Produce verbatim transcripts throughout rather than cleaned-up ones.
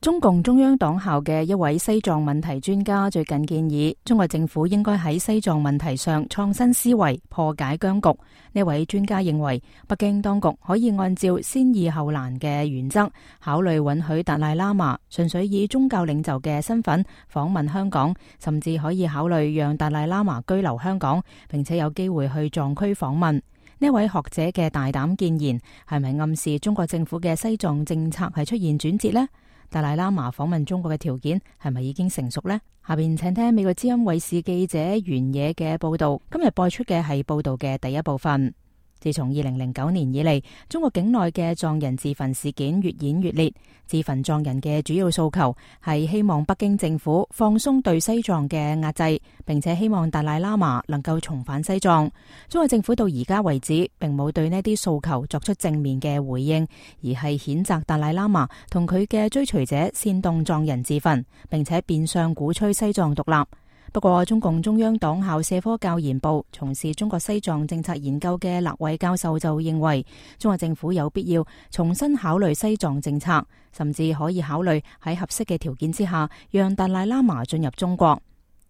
中共中央黨校嘅一位西藏問題專家最近建議，中國政府應該喺西藏問題上創新思維，破解僵局。呢位專家認為，北京當局可以按照先易後難嘅原則，考慮允許達賴喇嘛純粹以宗教領袖嘅身份訪問香港，甚至可以考慮讓達賴喇嘛居留香港，並且有機會去藏區訪問。呢位學者嘅大膽建言，係咪暗示中國政府嘅西藏政策係出現轉折呢？達賴喇嘛訪問中國嘅條件係咪已經成熟呢？下邊請聽美國之音衛視記者原野嘅報道。今日播出嘅係報道嘅第一部分。自從二零零九年以嚟，中國境內嘅藏人自焚事件越演越烈。自焚藏人嘅主要訴求係希望北京政府放鬆對西藏嘅壓制，並且希望達賴喇嘛能夠重返西藏。中國政府到而家為止，並冇對呢啲訴求作出正面嘅回應，而係譴責達賴喇嘛同佢嘅追隨者煽動藏人自焚，並且變相鼓吹西藏獨立。不過，中共中央黨校社科教研部從事中國西藏政策研究嘅勒偉教授就認為，中國政府有必要重新考慮西藏政策，甚至可以考慮喺合適嘅條件之下，讓達賴喇嘛進入中國。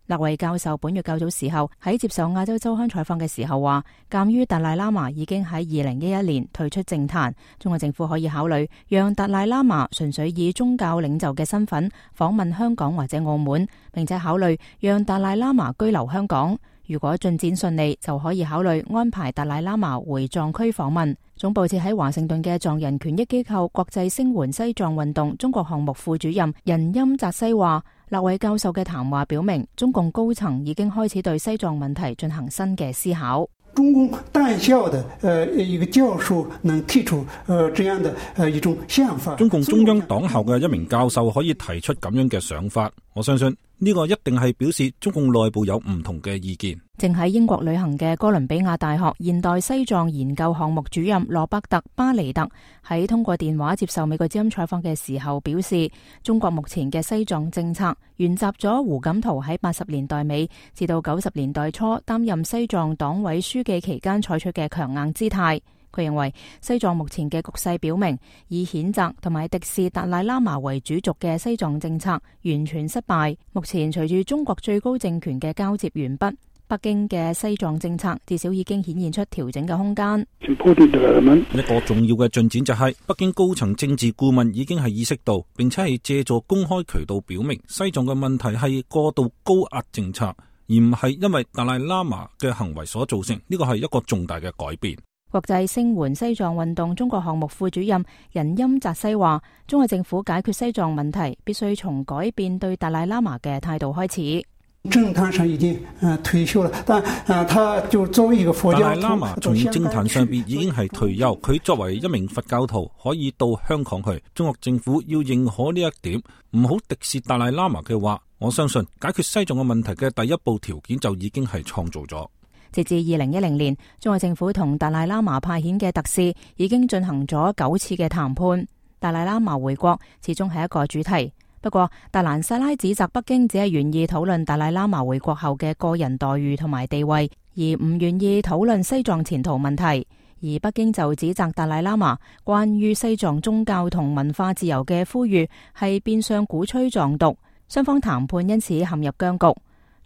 勒偉教授本月較早時候喺接受亞洲週刊採訪嘅時候話，鑒於達賴喇嘛已經喺二零一一年退出政壇，中國政府可以考慮讓達賴喇嘛純粹以宗教領袖嘅身份訪問香港或者澳門，並且考慮讓達賴喇嘛居留香港。如果進展順利，就可以考慮安排達賴喇嘛回藏區訪問。總部設喺華盛頓嘅藏人權益機構國際聲援西藏運動中國項目副主任仁欽扎西話，勒偉教授嘅談話表明，中共高層已經開始對西藏問題進行新嘅思考。中共黨校的呃一個教授能提出呃這樣的呃一種想法。中共中央黨校嘅一名教授可以提出咁樣嘅想法，我相信呢個一定係表示中共內部有唔同嘅意見。正喺英國旅行嘅哥倫比亞大學現代西藏研究項目主任羅伯特巴尼特喺通過電話接受美國之音採訪嘅時候表示，中國目前嘅西藏政策沿襲咗胡錦濤喺八十年代尾至到九十年代初擔任西藏黨委書記期間採取嘅強硬姿態。佢認為西藏目前嘅局勢表明，以譴責同埋敵視達賴喇嘛為主軸嘅西藏政策完全失敗。目前隨住中國最高政權嘅交接完畢，北京嘅西藏政策至少已經顯現出調整嘅空間。一個重要嘅進展就係北京高層政治顧問已經係意識到，並且係借助公開渠道表明，西藏嘅問題係過度高壓政策，而唔係因為達賴喇嘛嘅行為所造成。呢個係一個重大嘅改變。國際聲援西藏運動中國項目副主任仁欽扎西話，中國政府解決西藏問題必須從改變對達賴喇嘛嘅態度開始。政壇上已經呃退休了，但呃他就作為一個佛教徒，達賴喇嘛從政壇上邊已經係退休，佢作為一名佛教徒可以到香港去。中國政府要認可呢一點，唔好敵視達賴喇嘛嘅話，我相信解決西藏嘅問題嘅第一步條件就已經係創造咗。截至二零一零年，中國政府同達賴喇嘛派遣嘅特使已經進行咗九次嘅談判。達賴喇嘛回國始終係一個主題。不過，達蘭薩拉指責北京只係願意討論達賴喇嘛回國後嘅個人待遇同埋地位，而唔願意討論西藏前途問題。而北京就指責達賴喇嘛關於西藏宗教同文化自由嘅呼籲係變相鼓吹藏獨，雙方談判因此陷入僵局。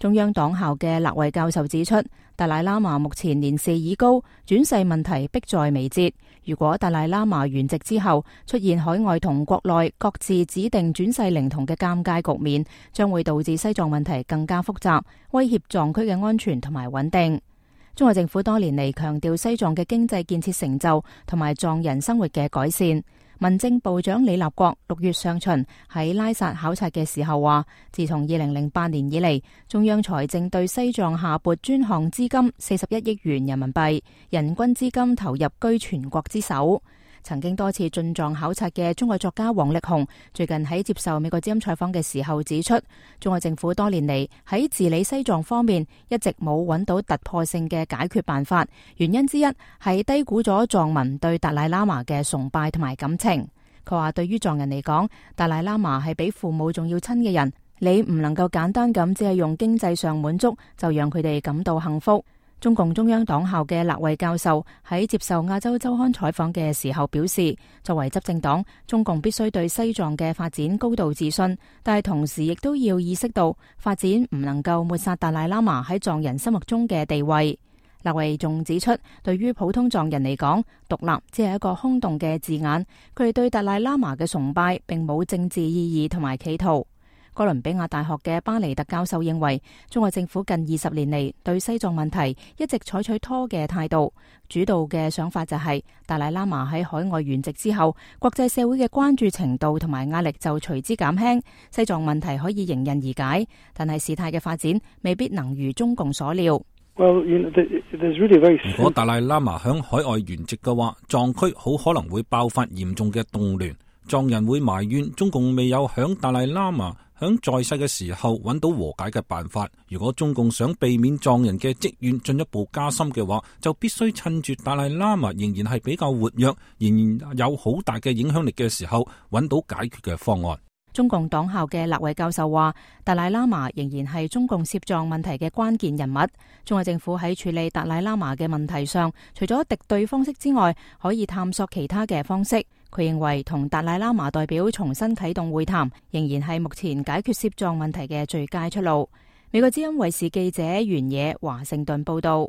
中央黨校嘅勒偉教授指出，達賴喇嘛目前年事已高，轉世問題迫在眉睫。如果達賴喇嘛圓寂之後出現海外同國內各自指定轉世靈童嘅尷尬局面，將會導致西藏問題更加複雜，威脅藏區嘅安全同埋穩定。中國政府多年嚟強調西藏嘅經濟建設成就同埋藏人生活嘅改善。民政部長李立國六月上旬喺拉薩考察嘅時候話，自從二零零八年以嚟，中央財政對西藏下撥專項資金四十一億元人民幣，人均資金投入居全國之首。曾經多次進藏考察嘅中國作家王力宏最近喺接受美國之音採訪嘅時候指出，中國政府多年嚟喺治理西藏方面一直冇揾到突破性嘅解決辦法，原因之一係低估咗藏民對達賴喇嘛嘅崇拜同埋感情。佢話對於藏人嚟講，達賴喇嘛係比父母仲要親嘅人，你唔能夠簡單咁只係用經濟上滿足就讓佢哋感到幸福。中共中央黨校嘅勒維教授喺接受亞洲週刊採訪嘅時候表示，作為執政黨，中共必須對西藏嘅發展高度自信，但係同時亦都要意識到發展唔能夠抹殺達賴喇嘛喺藏人心目中嘅地位。勒維仲指出，對於普通藏人嚟講，獨立只係一個空洞嘅字眼，佢哋對達賴喇嘛嘅崇拜並冇政治意義同埋企圖。哥倫比亞大學嘅巴尼特教授認為，中國政府近二十年嚟對西藏問題一直採取拖嘅態度，主導嘅想法就係達賴喇嘛喺海外圓寂之後，國際社會嘅關注程度同埋壓力就隨之減輕，西藏問題可以迎刃而解，但係事態嘅發展未必能如中共所料。Well, you know, there's really very... 如果達賴喇嘛響海外圓寂嘅話，藏區好可能會爆發嚴重嘅動亂，藏人會埋怨中共未有響達賴喇嘛響在世嘅時候揾到和解嘅辦法。如果中共想避免藏人嘅積怨進一步加深嘅話，就必須趁住達賴喇嘛仍然係比較活躍，仍然有好大嘅影響力嘅時候，揾到解決嘅方案。中共黨校嘅勒維教授話，達賴喇嘛仍然係中共涉藏問題嘅關鍵人物。中國政府喺處理達賴喇嘛嘅問題上，除咗敵對方式之外，可以探索其他嘅方式。佢認為同達賴喇嘛代表重新啟動會談，仍然係目前解決涉藏問題嘅最佳出路。美國之音衛視記者袁野華盛頓報道。